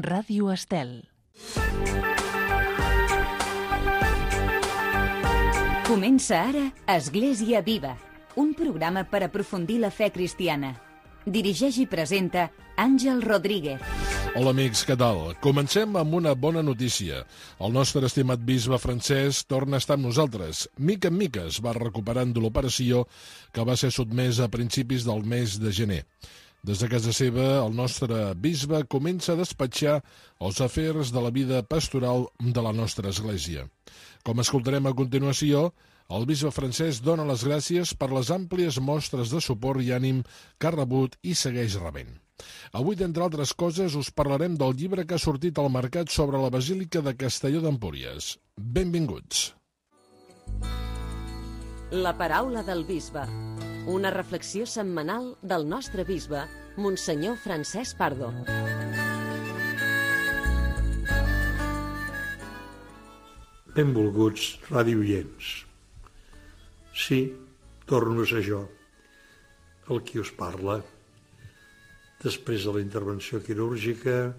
Ràdio Estel. Comença ara Església Viva, un programa per aprofundir la fe cristiana. Dirigeix i presenta Àngel Rodríguez. Hola amics, què tal? Comencem amb una bona notícia. El nostre estimat bisbe Francesc torna a estar amb nosaltres. Mica en mica es va recuperant de l'operació que va ser sotmesa a principis del mes de gener. Des de casa seva, el nostre bisbe comença a despatxar els afers de la vida pastoral de la nostra església. Com escoltarem a continuació, el bisbe Francesc dona les gràcies per les àmplies mostres de suport i ànim que ha rebut i segueix rebent. Avui, d'entre altres coses, us parlarem del llibre que ha sortit al mercat sobre la Basílica de Castelló d'Empúries. Benvinguts. La paraula del bisbe. Una reflexió setmanal del nostre bisbe, Monsenyor Francesc Pardo. Benvolguts radioients. Sí, torno a ser jo, el qui us parla. Després de la intervenció quirúrgica,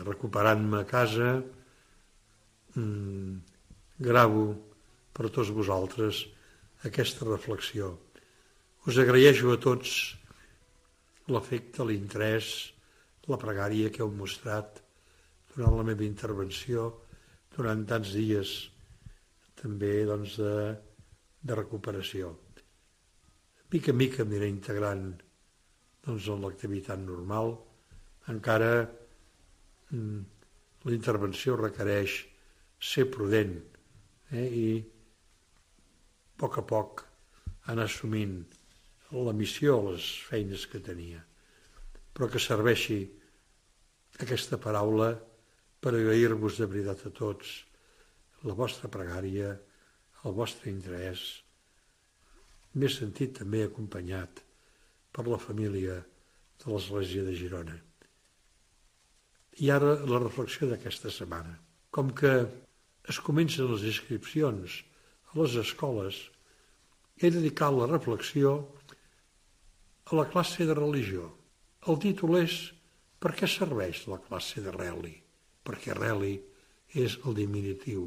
recuperant-me a casa, gravo per tots vosaltres aquesta reflexió. Us agraeixo a tots l'afecte, l'interès, la pregària que heu mostrat durant la meva intervenció, durant tants dies també de recuperació. Mica en mica m'aniré integrant en l'activitat normal. Encara la intervenció requereix ser prudent i a poc anar assumint la missió, les feines que tenia, però que serveixi aquesta paraula per agrair-vos de veritat a tots la vostra pregària, el vostre interès. M'he sentit també acompanyat per la família de l'Església de Girona. I ara la reflexió d'aquesta setmana. Com que es comencen les inscripcions a les escoles, he dedicat la reflexió a la classe de religió. El títol és «Per què serveix la classe de reli?» Perquè reli és el diminutiu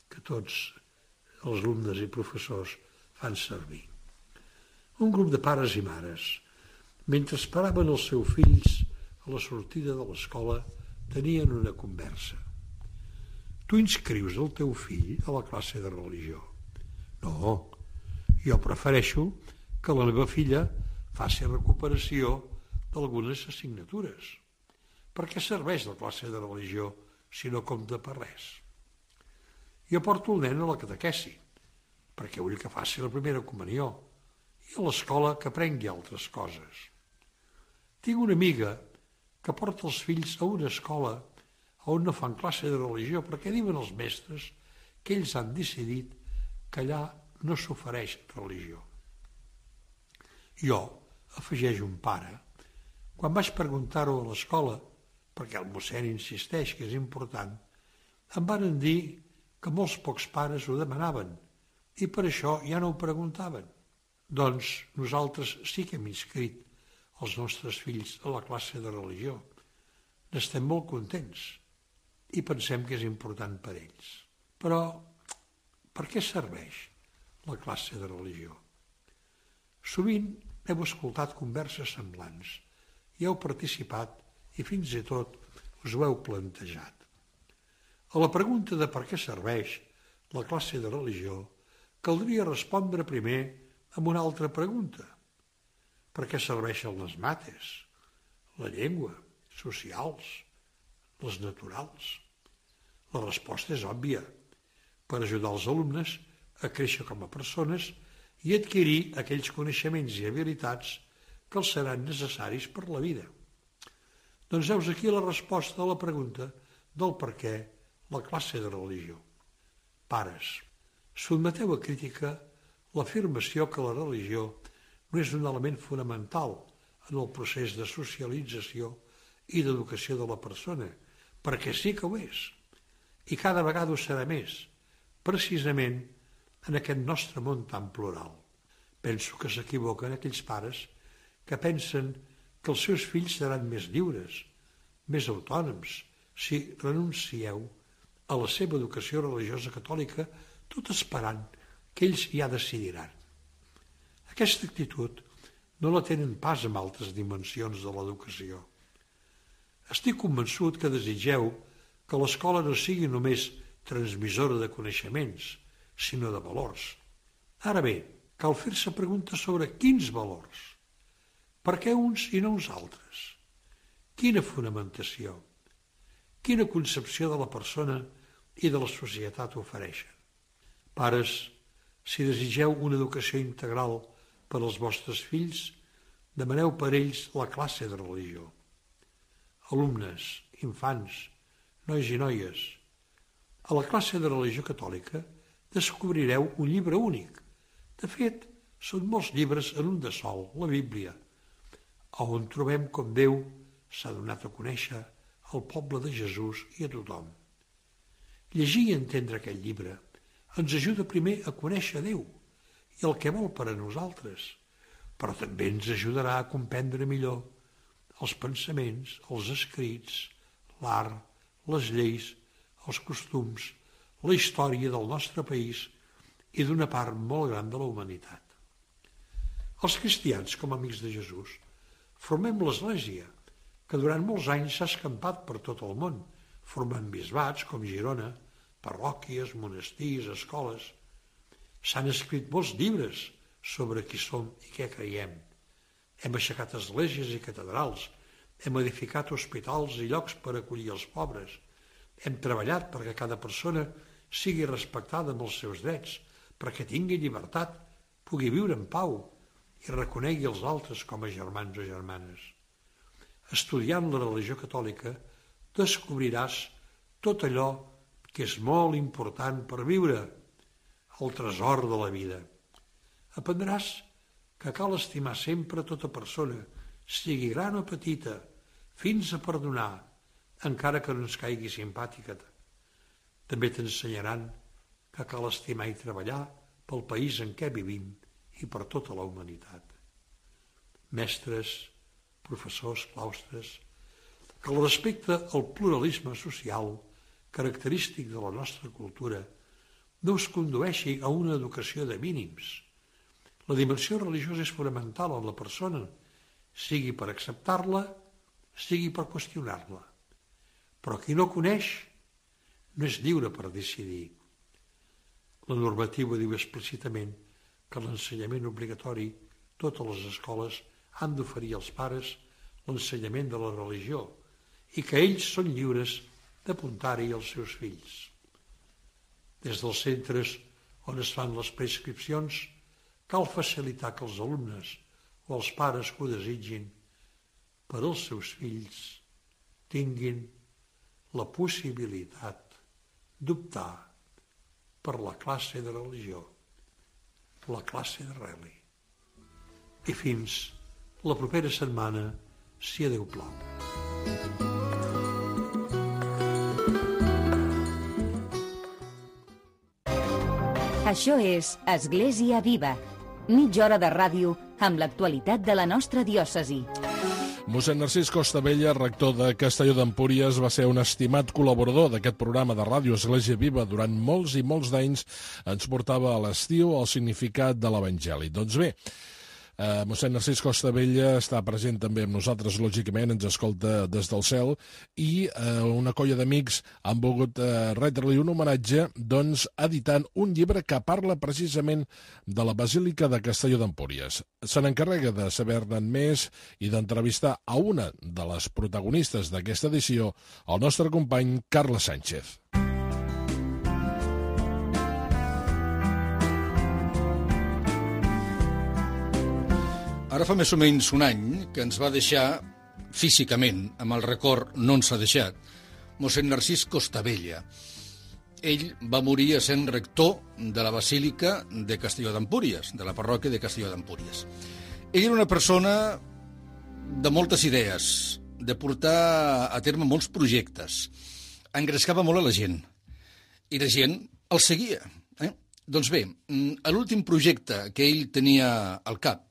que tots els alumnes i professors fan servir. Un grup de pares i mares, mentre esperaven els seus fills a la sortida de l'escola, tenien una conversa. Tu inscrius el teu fill a la classe de religió? No, jo prefereixo que la meva filla faci recuperació d'algunes assignatures. Per què serveix la classe de religió si no compta per res? Jo porto el nen a la catequesi, perquè vull que faci la primera comunió, i a l'escola que aprengui altres coses. Tinc una amiga que porta els fills a una escola on no fan classe de religió perquè diuen els mestres que ells han decidit que allà no s'ofereix religió. Jo, afegeix un pare, quan vaig preguntar-ho a l'escola, perquè el mossèn insisteix que és important, em van dir que molts pocs pares ho demanaven i per això ja no ho preguntaven. Doncs nosaltres sí que hem inscrit els nostres fills a la classe de religió. N'estem molt contents i pensem que és important per ells. Però per què serveix la classe de religió? Sovint heu escoltat converses semblants i heu participat i fins i tot us ho heu plantejat. A la pregunta de per què serveix la classe de religió caldria respondre primer amb una altra pregunta. Per què serveixen les mates, la llengua, socials, les naturals? La resposta és òbvia. Per ajudar els alumnes a créixer com a persones i adquirir aquells coneixements i habilitats que els seran necessaris per la vida. Doncs heus aquí la resposta a la pregunta del per què la classe de religió. Pares, sotmeteu a crítica l'afirmació que la religió no és un element fonamental en el procés de socialització i d'educació de la persona, perquè sí que ho és, i cada vegada ho serà més, precisament en aquest nostre món tan plural. Penso que s'equivoquen aquells pares que pensen que els seus fills seran més lliures, més autònoms si renuncieu a la seva educació religiosa catòlica, tot esperant que ells ja decidiran. Aquesta actitud no la tenen pas amb altres dimensions de l'educació. Estic convençut que desitgeu que l'escola no sigui només transmissora de coneixements, sinó de valors. Ara bé, cal fer-se preguntes sobre quins valors. Per què uns i no uns altres? Quina fonamentació? Quina concepció de la persona i de la societat ofereixen? Pares, si desitgeu una educació integral per als vostres fills, demaneu per ells la classe de religió. Alumnes, infants, nois i noies, a la classe de religió catòlica descobrireu un llibre únic. De fet, són molts llibres en un de sol, la Bíblia, on trobem com Déu s'ha donat a conèixer al poble de Jesús i a tothom. Llegir i entendre aquest llibre ens ajuda primer a conèixer Déu i el que vol per a nosaltres, però també ens ajudarà a comprendre millor els pensaments, els escrits, l'art, les lleis, els costums, la història del nostre país i d'una part molt gran de la humanitat. Els cristians, com a amics de Jesús, formem l'Església, que durant molts anys s'ha escampat per tot el món, formant bisbats com Girona, parròquies, monestirs, escoles. S'han escrit molts llibres sobre qui som i què creiem. Hem aixecat esglésies i catedrals, hem edificat hospitals i llocs per acollir els pobres, hem treballat perquè cada persona sigui respectada amb els seus drets, perquè tingui llibertat, pugui viure en pau i reconegui els altres com a germans o germanes. Estudiant la religió catòlica descobriràs tot allò que és molt important per viure, el tresor de la vida. Aprendràs que cal estimar sempre tota persona, sigui gran o petita, fins a perdonar, encara que no ens caigui simpàtica. També t'ensenyaran que cal estimar i treballar pel país en què vivim i per tota la humanitat. Mestres, professors, claustres, que el respecte al pluralisme social, característic de la nostra cultura, no us condueixi a una educació de mínims. La dimensió religiosa és fonamental en la persona, sigui per acceptar-la, sigui per qüestionar-la. Però qui no coneix no és lliure per decidir. La normativa diu explícitament que l'ensenyament obligatori, totes les escoles han d'oferir als pares l'ensenyament de la religió i que ells són lliures d'apuntar-hi els seus fills. Des dels centres on es fan les prescripcions, cal facilitar que els alumnes o els pares que ho desitgin per als seus fills tinguin la possibilitat d'optar per la classe de religió, la classe de reli. I fins la propera setmana, si a Déu plau. Això és Església Viva, mitja hora de ràdio amb l'actualitat de la nostra diòcesi. Mossèn Narcís Costabella, rector de Castelló d'Empúries, va ser un estimat col·laborador d'aquest programa de ràdio Església Viva durant molts i molts d'anys. Ens portava a l'estiu el significat de l'Evangeli. Doncs bé, mossèn Narcís Costabella està present també amb nosaltres, lògicament, ens escolta des del cel, i una colla d'amics han volgut retre-li un homenatge, doncs, editant un llibre que parla precisament de la Basílica de Castelló d'Empúries. Se n'encarrega de saber-ne més i d'entrevistar a una de les protagonistes d'aquesta edició, el nostre company Carles Sánchez. Ara fa més o menys un any que ens va deixar, físicament, amb el record no ens ha deixat, mossèn Narcís Costabella. Ell va morir essent rector de la Basílica de Castelló d'Empúries, de la parròquia de Castelló d'Empúries. Ell era una persona de moltes idees, de portar a terme molts projectes. Engrescava molt a la gent, i la gent el seguia. Doncs bé, l'últim projecte que ell tenia al cap,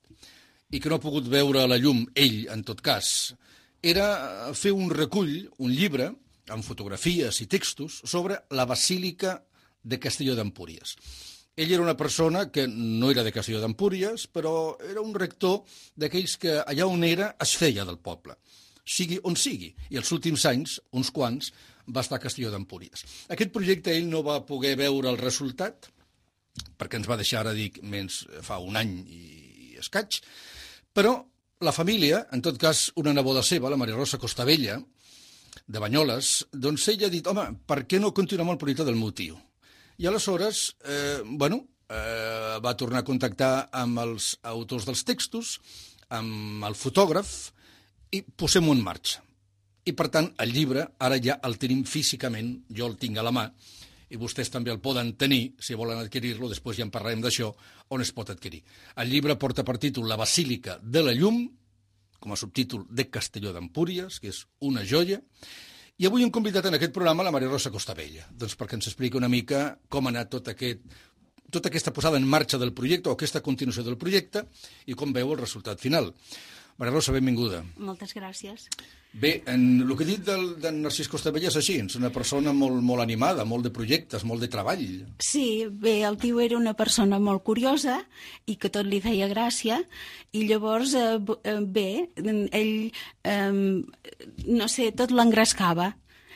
i que no ha pogut veure a la llum, ell, en tot cas, era fer un recull, un llibre, amb fotografies i textos, sobre la Basílica de Castelló d'Empúries. Ell era una persona que no era de Castelló d'Empúries, però era un rector d'aquells que allà on era es feia del poble, sigui on sigui. I els últims anys, uns quants, va estar a Castelló d'Empúries. Aquest projecte ell no va poder veure el resultat, perquè ens va deixar, ara dic, menys fa un any i escaig, però la família, en tot cas una neboda seva, la Maria Rosa Costabella, de Banyoles, doncs ella ha dit, home, per què no continuar amb el projecte del meu tio? I aleshores, va tornar a contactar amb els autors dels textos, amb el fotògraf, i posem-ho en marxa. I, per tant, el llibre ara ja el tenim físicament, jo el tinc a la mà, i vostès també el poden tenir, si volen adquirir-lo, després ja en parlarem d'això, on es pot adquirir. El llibre porta per títol La Basílica de la Llum, com a subtítol de Castelló d'Empúries, que és una joia, i avui hem convidat en aquest programa la Maria Rosa Costabella, doncs perquè ens expliqui una mica com ha anat tota aquesta posada en marxa del projecte, o aquesta continuació del projecte, i com veu el resultat final. Maria Rosa, benvinguda. Moltes gràcies. Bé, el que he dit d'en Narcís Costabella és així, és una persona molt animada, molt de projectes, molt de treball. Sí, bé, el tio era una persona molt curiosa i que tot li feia gràcia, i llavors, bé, ell, no sé, tot l'engrescava.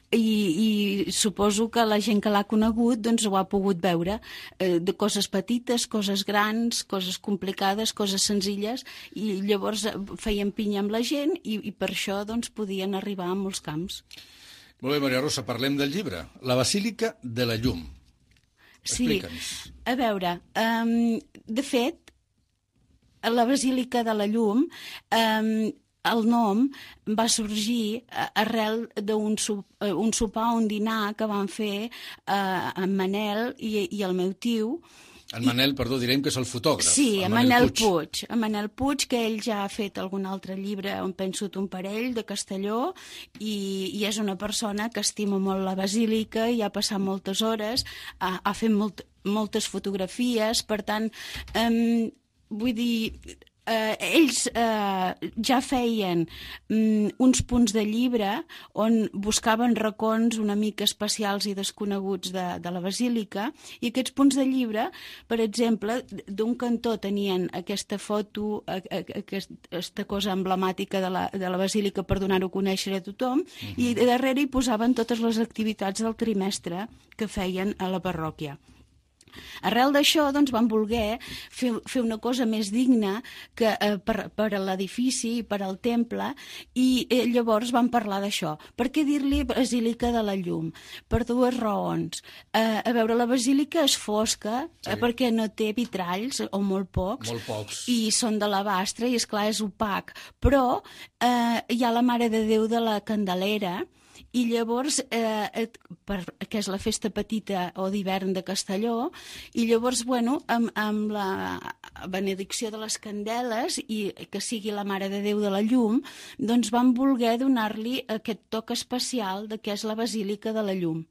I suposo que la gent que l'ha conegut doncs ho ha pogut veure, de coses petites, coses grans, coses complicades, coses senzilles, i llavors feien pinya amb la gent i per això doncs podien arribar a molts camps. Molt bé, Maria Rosa, parlem del llibre, La Basílica de la Llum. Explica'ns. Sí, a veure, de fet, la Basílica de la Llum, el nom va sorgir arrel d'un sopar, un dinar que van fer en Manel i el meu tio. En Manel, perdó, direm que és el fotògraf. Sí, en Manel Puig. En Manel Puig, que ell ja ha fet algun altre llibre, on penso un parell, de Castelló, i és una persona que estima molt la basílica i ha passat moltes hores, ha fet moltes fotografies, per tant, vull dir, ells ja feien uns punts de llibre on buscaven racons una mica especials i desconeguts de la basílica, i aquests punts de llibre, per exemple, d'un cantó tenien aquesta foto, aquesta cosa emblemàtica de la basílica per donar-ho a conèixer a tothom, i darrere hi posaven totes les activitats del trimestre que feien a la parròquia. Arrel d'això, doncs, van voler fer una cosa més digna per a l'edifici i per al temple, i llavors van parlar d'això. Per què dir-li Basílica de la Llum? Per dues raons. A veure, la basílica és fosca, perquè no té vitralls, o molt pocs, i són de l'alabastre, i esclar és opac, però hi ha la Mare de Déu de la Candelera, i llavors, que és la festa petita o d'hivern de Castelló, i llavors, bueno, amb la benedicció de les candeles i que sigui la Mare de Déu de la Llum, doncs van voler donar-li aquest toc especial de què és la Basílica de la Llum.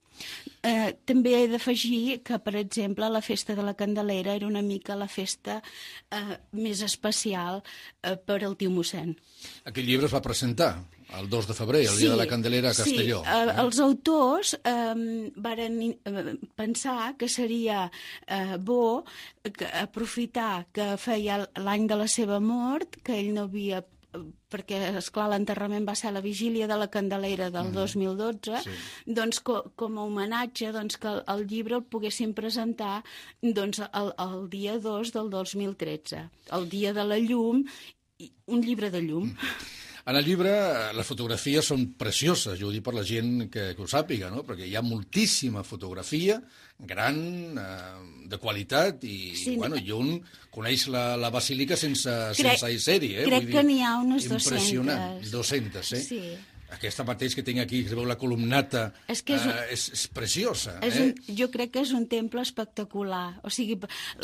També he d'afegir que, per exemple, la festa de la Candelera era una mica la festa més especial per al tio mossèn. Aquest llibre es va presentar el 2 de febrer, el dia de la Candelera a Castelló. Sí, els autors varen pensar que seria bo aprofitar que feia l'any de la seva mort, que ell no havia, perquè, esclar, l'enterrament va ser a la vigília de la Candelera del 2012, doncs com a homenatge que el llibre el poguessin presentar el dia 2 del 2013, el dia de la llum, un llibre de llum. En el llibre les fotografies són precioses, jo ho dic per la gent que ho sàpiga, no? Perquè hi ha moltíssima fotografia, gran, de qualitat, i un coneix la basílica sense ser-hi. Crec que n'hi ha unes 200. Impressionant, 200, Sí. Aquesta mateix que tinc aquí, que es veu la columnata, és preciosa. Jo crec que és un temple espectacular. O sigui,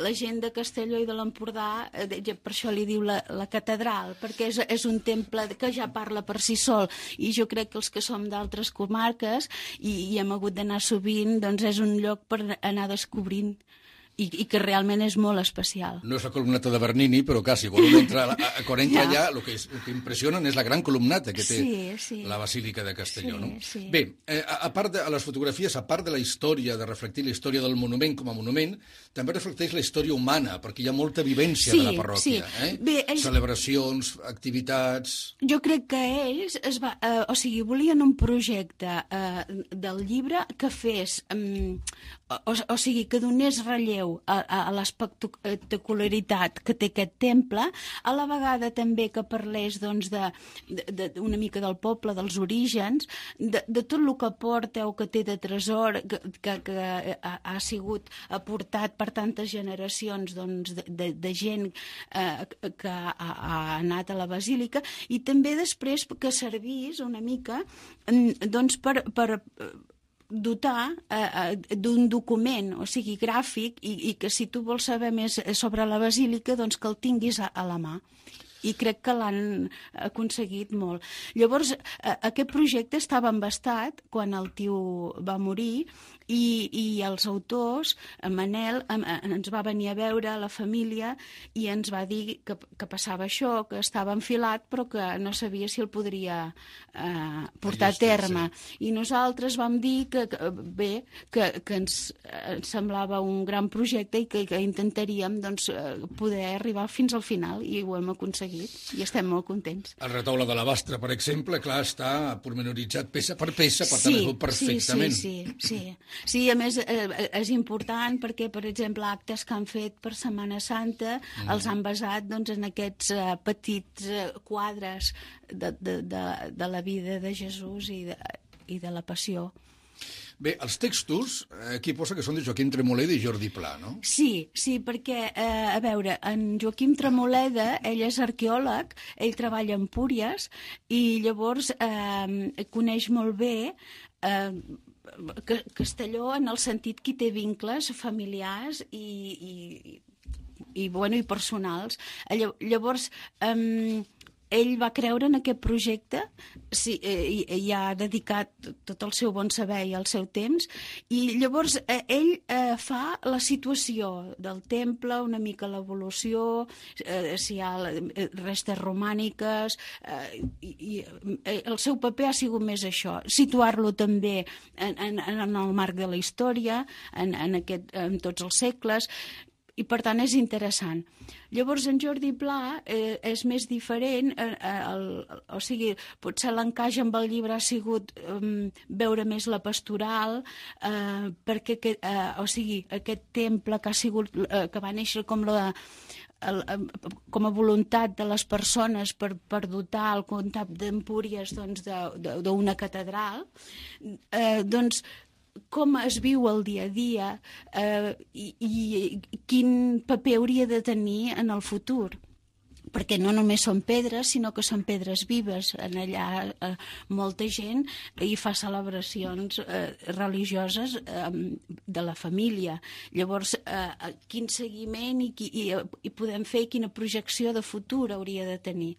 la gent de Castelló i de l'Empordà, per això li diu la catedral, perquè és un temple que ja parla per si sol. I jo crec que els que som d'altres comarques i hem hagut d'anar sovint, doncs és un lloc per anar descobrint i que realment és molt especial. No és la columnata de Bernini, però quasi. Quan entra allà, el que impressionen és la gran columnata que té la Basílica de Castelló. No? Sí. Bé, a part de les fotografies, a part de la història, de reflectir la història del monument com a monument, també reflecteix la història humana, perquè hi ha molta vivència de la parròquia. Bé, celebracions, activitats... Jo crec que ells volien un projecte del llibre que fes... O sigui, que donés relleu a l'espectacularitat que té aquest temple, a la vegada també que parlés una mica del poble, dels orígens, de tot el que aporta o que té de tresor, que ha sigut aportat per tantes generacions de gent que ha anat a la Basílica, i també després que servís una mica per dotar d'un document, o sigui, gràfic, i que si tu vols saber més sobre la Basílica, doncs que el tinguis a la mà. I crec que l'han aconseguit molt. Llavors, aquest projecte estava embastat quan el tio va morir, i els autors, en Manel, ens va venir a veure a la família i ens va dir que passava això, que estava enfilat, però que no sabia si el podria portar a terme. I nosaltres vam dir que ens semblava un gran projecte i que intentaríem poder arribar fins al final, i ho hem aconseguit i estem molt contents. El retaule de la Bastra, per exemple, clar, està pormenoritzat peça per peça, per tant es veu perfectament. Sí, a més és important perquè, per exemple, actes que han fet per Setmana Santa els han basat en aquests petits quadres de la vida de Jesús i de la Passió. Bé, els textos, aquí posa que són de Joaquim Tremoleda i Jordi Pla, no? Sí, perquè, a veure, en Joaquim Tremoleda, ell és arqueòleg, ell treballa a Empúries, i llavors coneix molt bé Castelló en el sentit que hi té vincles familiars i personals. Llavors, ell va creure en aquest projecte i ha dedicat tot el seu bon saber i el seu temps, i llavors ell fa la situació del temple, una mica l'evolució, si hi ha restes romàniques, i el seu paper ha sigut més això, situar-lo també en el marc de la història, en tots els segles, i per tant és interessant. Llavors en Jordi Pla és més diferent, o sigui, potser l'encaix amb el llibre ha sigut veure més la pastoral, perquè aquest temple que va néixer com a voluntat de les persones per dotar el comtat d'Empúries d'una catedral, com es viu el dia a dia i quin paper hauria de tenir en el futur. Perquè no només són pedres, sinó que són pedres vives. En allà molta gent hi fa celebracions religioses de la família. Llavors, quin seguiment i podem fer, quina projecció de futur hauria de tenir.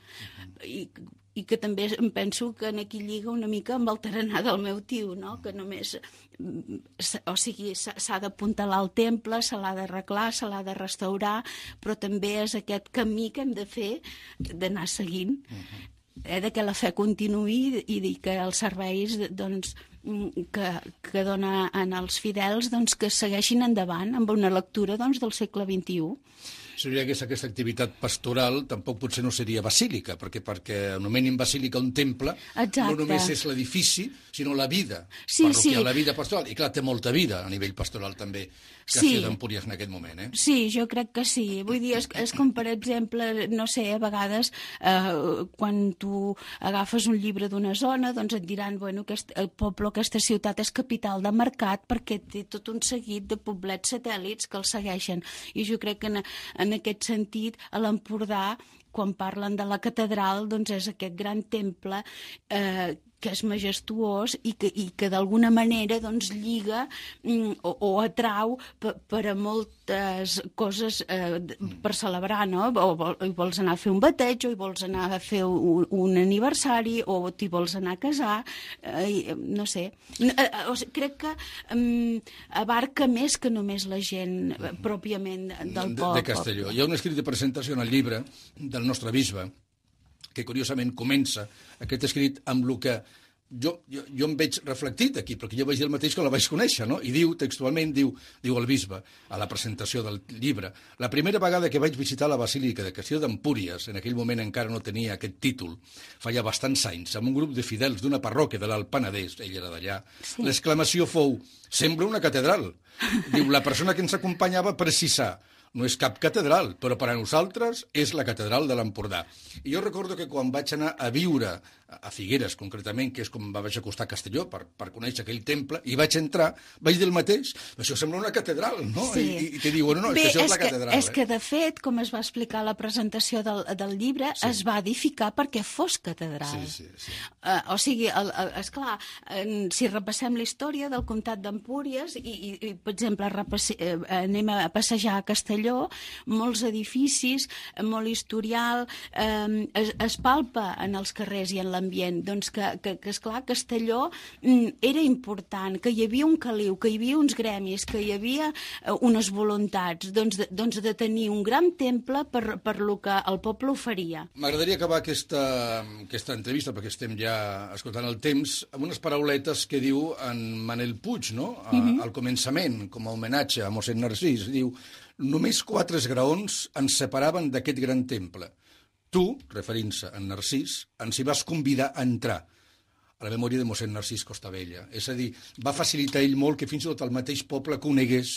I que també em penso que aquí lliga una mica amb el tarannà del meu tio, no? Que només, o sigui, s'ha d'apuntalar al temple, se l'ha d'arreglar, se l'ha de restaurar, però també és aquest camí que hem de fer, d'anar seguint, de que la fe continuï i que els serveis que dona als fidels que segueixin endavant amb una lectura del segle XXI. Si no hi hagués aquesta activitat pastoral, tampoc potser no seria basílica, perquè anomenin basílica un temple, no només és l'edifici, sinó la vida parroquial, la vida pastoral. I clar, té molta vida a nivell pastoral també, Castelló d'Empúries en aquest moment. Sí, jo crec que sí. Vull dir, és com, per exemple, no sé, a vegades quan tu agafes un llibre d'una zona, doncs et diran, bueno, el poble, aquesta ciutat és capital de mercat perquè té tot un seguit de poblets satèl·lits que el segueixen. I jo crec que en aquest sentit, a l'Empordà, quan parlen de la catedral, doncs és aquest gran temple que és majestuós i que d'alguna manera doncs, lliga o atrau per a moltes coses per celebrar, no? O vols anar a fer un bateig, o hi vols anar a fer un aniversari, o t'hi vols anar a casar, no sé. Crec que abarca més que només la gent pròpiament del poble. De Castelló. Hi ha un escrit de presentació en el llibre del nostre bisbe, que curiosament comença aquest escrit amb el que jo em veig reflectit aquí, perquè jo vaig dir el mateix que la vaig conèixer, no? I diu, textualment, diu el bisbe, a la presentació del llibre, la primera vegada que vaig visitar la Basílica de Castelló d'Empúries, en aquell moment encara no tenia aquest títol, feia bastants anys, amb un grup de fidels d'una parròquia de l'Alt Penedès, ell era d'allà, l'exclamació fou, sembla una catedral. Diu, la persona que ens acompanyava precisà, no és cap catedral, però per a nosaltres és la catedral de l'Empordà. I jo recordo que quan vaig anar a viure a Figueres, concretament, que és com vaig acostar a Castelló per conèixer aquell temple, i vaig entrar, vaig dir el mateix, això sembla una catedral, no? Sí. I te diu, no, bé, això és la catedral. És que, de fet, com es va explicar a la presentació del llibre, es va edificar perquè fos catedral. Sí. O sigui, esclar, si repassem la història del comtat d'Empúries i per exemple, anem a passejar a Castelló, molts edificis, molt historial, es palpa en els carrers i en l'ambient, doncs que esclar, Castelló era important, que hi havia un caliu, que hi havia uns gremis, que hi havia unes voluntats, doncs de tenir un gran temple per lo que el poble oferia. M'agradaria acabar aquesta entrevista, perquè estem ja escoltant el temps, amb unes parauletes que diu en Manel Puig, no? Al començament, com a homenatge a mossèn Narcís, diu: només 4 esgraons ens separaven d'aquest gran temple. Tu, referint-se a Narcís, ens hi vas convidar a entrar a la memòria de mossèn Narcís Costabella. És a dir, va facilitar ell molt que fins i tot el mateix poble conegués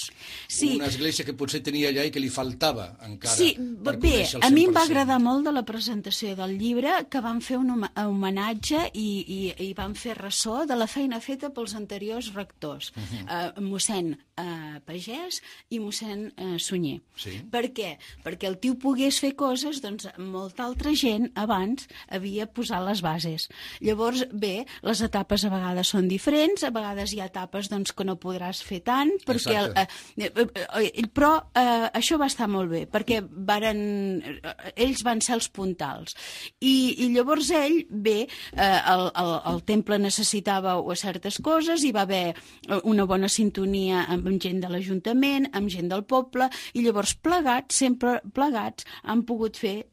una església que potser tenia allà i que li faltava encara per conèixer el 100%. A mi em va agradar molt de la presentació del llibre, que van fer un homenatge i van fer ressò de la feina feta pels anteriors rectors, mossèn Pagès i mossèn Sunyer. Sí. Per què? Perquè el tio pogués fer coses, doncs molta altra gent abans havia posat les bases. Llavors, bé, les etapes a vegades són diferents, a vegades hi ha etapes doncs, que no podràs fer tant, perquè però això va estar molt bé, perquè ells van ser els puntals. I llavors ell, bé, el temple necessitava certes coses, hi va haver una bona sintonia amb gent de l'Ajuntament, amb gent del poble, i llavors plegats, sempre plegats, han pogut fer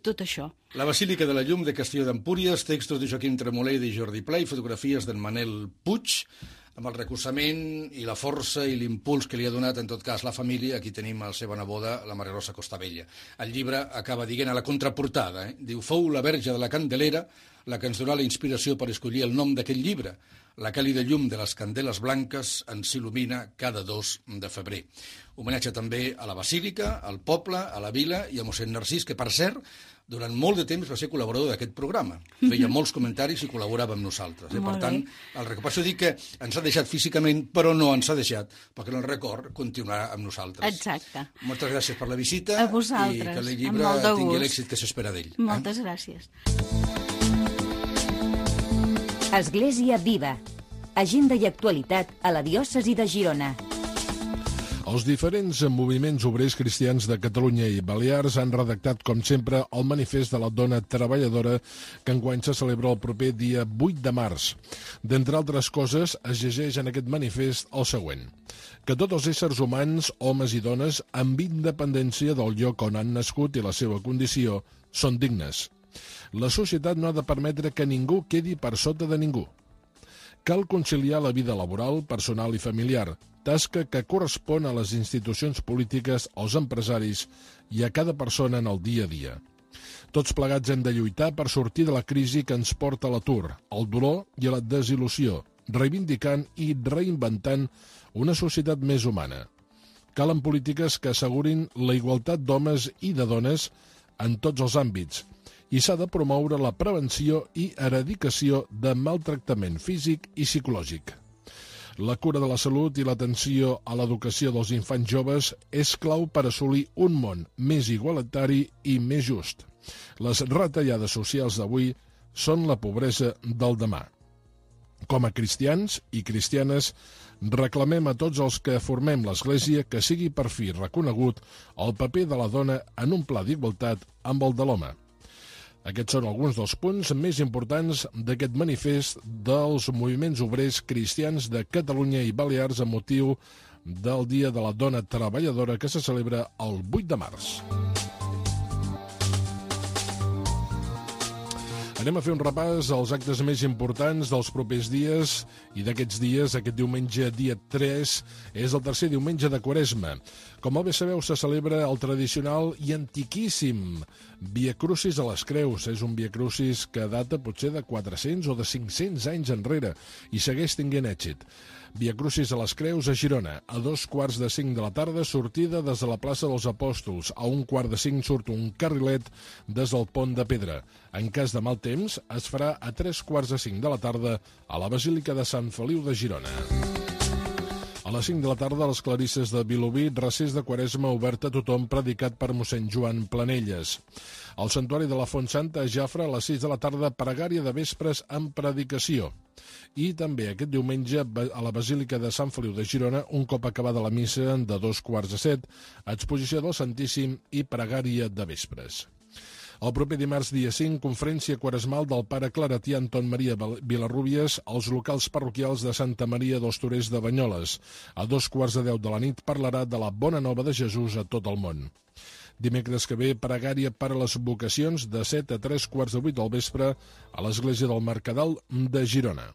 tot això. La Basílica de la Llum de Castelló d'Empúries, textos de Joaquim Tremoler i de Jordi Pla i fotografies d'en Manel Puig, amb el recolzament i la força i l'impuls que li ha donat, en tot cas, la família. Aquí tenim la seva neboda, la Maria Rosa Costabella. El llibre acaba dient a la contraportada, diu: fou la Verge de la Candelera la que ens donà la inspiració per escollir el nom d'aquest llibre. La càlida llum de les candeles blanques ens il·lumina cada 2 de febrer. Homenatge també a la Basílica, al poble, a la vila i a mossèn Narcís, que, per cert, durant molt de temps va ser col·laborador d'aquest programa. Feia molts comentaris i col·laborava amb nosaltres. Per tant, el record, per això dic que ens ha deixat físicament, però no ens ha deixat, perquè el record continuarà amb nosaltres. Exacte. Moltes gràcies per la visita. A vosaltres. I que el llibre tingui l'èxit que s'espera d'ell. Moltes gràcies. Església Viva. Agenda i actualitat a la diòcesi de Girona. Els diferents moviments obrers cristians de Catalunya i Balears han redactat, com sempre, el manifest de la dona treballadora que enguany se celebra el proper dia 8 de març. D'entre altres coses, es llegeix en aquest manifest el següent: que tots els éssers humans, homes i dones, amb independència del lloc on han nascut i la seva condició, són dignes. La societat no ha de permetre que ningú quedi per sota de ningú. Cal conciliar la vida laboral, personal i familiar, tasca que correspon a les institucions polítiques, als empresaris i a cada persona en el dia a dia. Tots plegats hem de lluitar per sortir de la crisi que ens porta a l'atur, al dolor i a la desil·lusió, reivindicant i reinventant una societat més humana. Calen polítiques que assegurin la igualtat d'homes i de dones en tots els àmbits, i s'ha de promoure la prevenció i eradicació de maltractament físic i psicològic. La cura de la salut i l'atenció a l'educació dels infants joves és clau per assolir un món més igualitari i més just. Les retallades socials d'avui són la pobresa del demà. Com a cristians i cristianes, reclamem a tots els que formem l'Església que sigui per fi reconegut el paper de la dona en un pla d'igualtat amb el de l'home. Aquests són alguns dels punts més importants d'aquest manifest dels moviments obrers cristians de Catalunya i Balears amb motiu del Dia de la Dona Treballadora que se celebra el 8 de març. Anem a fer un repàs als actes més importants dels propers dies i d'aquests dies. Aquest diumenge, dia 3, és el tercer diumenge de Quaresma. Com bé sabeu, se celebra el tradicional i antiquíssim Via Crucis a les Creus. És un Via Crucis que data potser de 400 o de 500 anys enrere i segueix tinguent èxit. Via Crucis a les Creus a Girona. A 4:45 de la tarda, sortida des de la plaça dels Apòstols. A 4:45 surt un carrilet des del Pont de Pedra. En cas de mal temps, es farà a 3:45 de la tarda a la Basílica de Sant Feliu de Girona. A les 5 de la tarda, a les Clarisses de Vilobí, recés de Quaresma obert a tothom, predicat per mossèn Joan Planelles. Al Santuari de la Font Santa, a Jafre, a les 6 de la tarda, pregària de vespres amb predicació. I també aquest diumenge, a la Basílica de Sant Feliu de Girona, un cop acabada la missa de 6:45, exposició del Santíssim i pregària de vespres. El proper dimarts, dia 5, conferència quaresmal del pare claretià Anton Maria Vilarrubias als locals parroquials de Santa Maria dels Torers de Banyoles. A 2:10 de la nit parlarà de la bona nova de Jesús a tot el món. Dimecres que ve, pregària per a les vocacions de 7 a 3:15 del vespre a l'Església del Mercadal de Girona.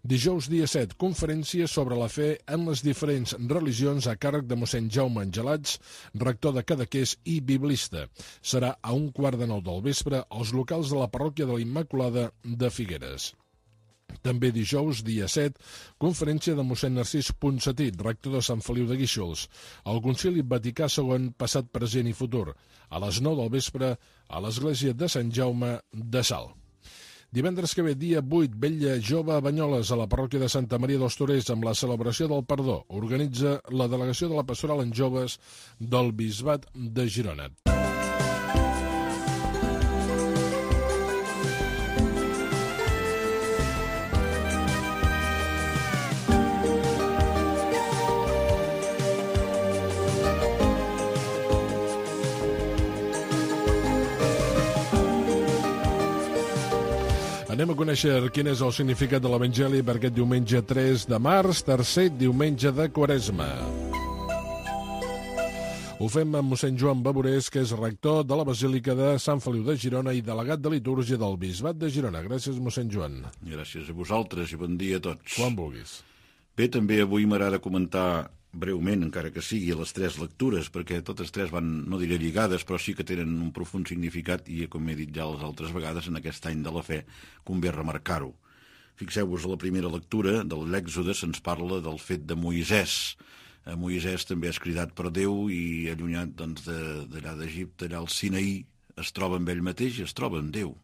Dijous, dia 7, conferència sobre la fe en les diferents religions a càrrec de mossèn Jaume Angelats, rector de Cadaqués i biblista. Serà a 8:15 del vespre als locals de la parròquia de la Immaculada de Figueres. També dijous, dia 7, conferència de mossèn Narcís Ponsatí, rector de Sant Feliu de Guíxols, al Concili Vaticà II, passat, present i futur, a les 9 del vespre a l'Església de Sant Jaume de Salt. Divendres que ve, dia 8, vetlla jove a Banyoles, a la parròquia de Santa Maria dels Torers, amb la celebració del perdó. Organitza la delegació de la Pastoral en Joves del Bisbat de Girona. Anem a conèixer quin és el significat de l'Evangeli per aquest diumenge 3 de març, tercer diumenge de Quaresma. Ho fem amb mossèn Joan Baborés, que és rector de la Basílica de Sant Feliu de Girona i delegat de litúrgia del Bisbat de Girona. Gràcies, mossèn Joan. Gràcies a vosaltres i bon dia a tots. Quan vulguis. Bé, també avui m'agrada comentar breument, encara que sigui, les tres lectures, perquè totes tres van, no diré lligades, però sí que tenen un profund significat i, com he dit ja les altres vegades, en aquest any de la fe convé remarcar-ho. Fixeu-vos, a la primera lectura de l'Èxode se'ns parla del fet de Moisès. Moisès també és cridat per Déu i allunyat d'allà d'Egipte, allà al Sinaí, es troba amb ell mateix i es troba amb Déu.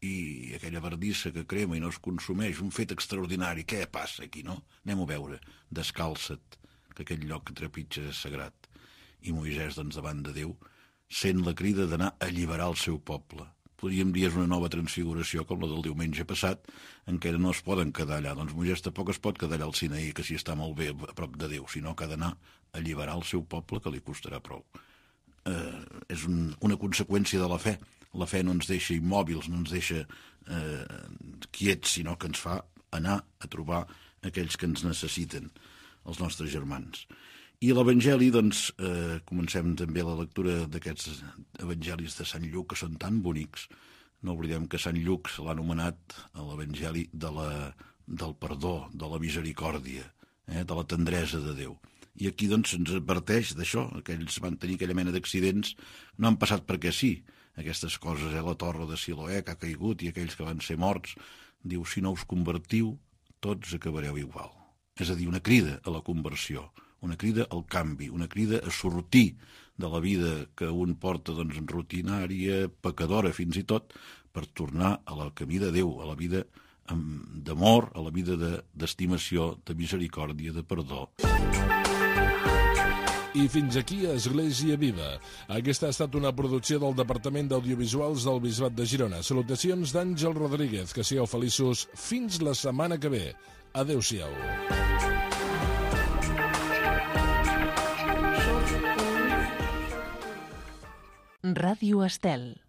I aquella verdissa que crema i no es consumeix, un fet extraordinari. Què passa aquí, no? Anem-ho a veure. Descalça't, que aquell lloc que trepitja és sagrat. I Moisès, doncs, davant de Déu, sent la crida d'anar a alliberar el seu poble. Podríem dir és una nova transfiguració, com la del diumenge passat, en què no es poden quedar allà. Doncs Moisès tampoc es pot quedar allà al Sinaí, que si està molt bé a prop de Déu, sinó que ha d'anar a alliberar el seu poble, que li costarà prou. És una conseqüència de la fe. La fe no ens deixa immòbils, no ens deixa quiets, sinó que ens fa anar a trobar aquells que ens necessiten, els nostres germans. I a l'Evangeli, doncs, comencem també la lectura d'aquests evangelis de Sant Lluc, que són tan bonics. No oblidem que Sant Lluc se l'ha anomenat a l'Evangeli del perdó, de la misericòrdia, de la tendresa de Déu. I aquí, doncs, se'ns adverteix d'això. Aquells van tenir aquella mena d'accidents, no han passat perquè sí. Aquestes coses, la torre de Siloé que ha caigut i aquells que van ser morts. Diu, si no us convertiu, tots acabareu igual. És a dir, una crida a la conversió, una crida al canvi, una crida a sortir de la vida que un porta, doncs, rutinària, pecadora fins i tot, per tornar a la camí de Déu, a la vida d'amor, a la vida d'estimació, de misericòrdia, de perdó. I fins aquí Església Viva. Aquesta ha estat una producció del Departament d'Audiovisuals del Bisbat de Girona. Salutacions d'Àngel Rodríguez. Que sigueu feliços fins la setmana que ve. Adéu-siau. Ràdio Estel.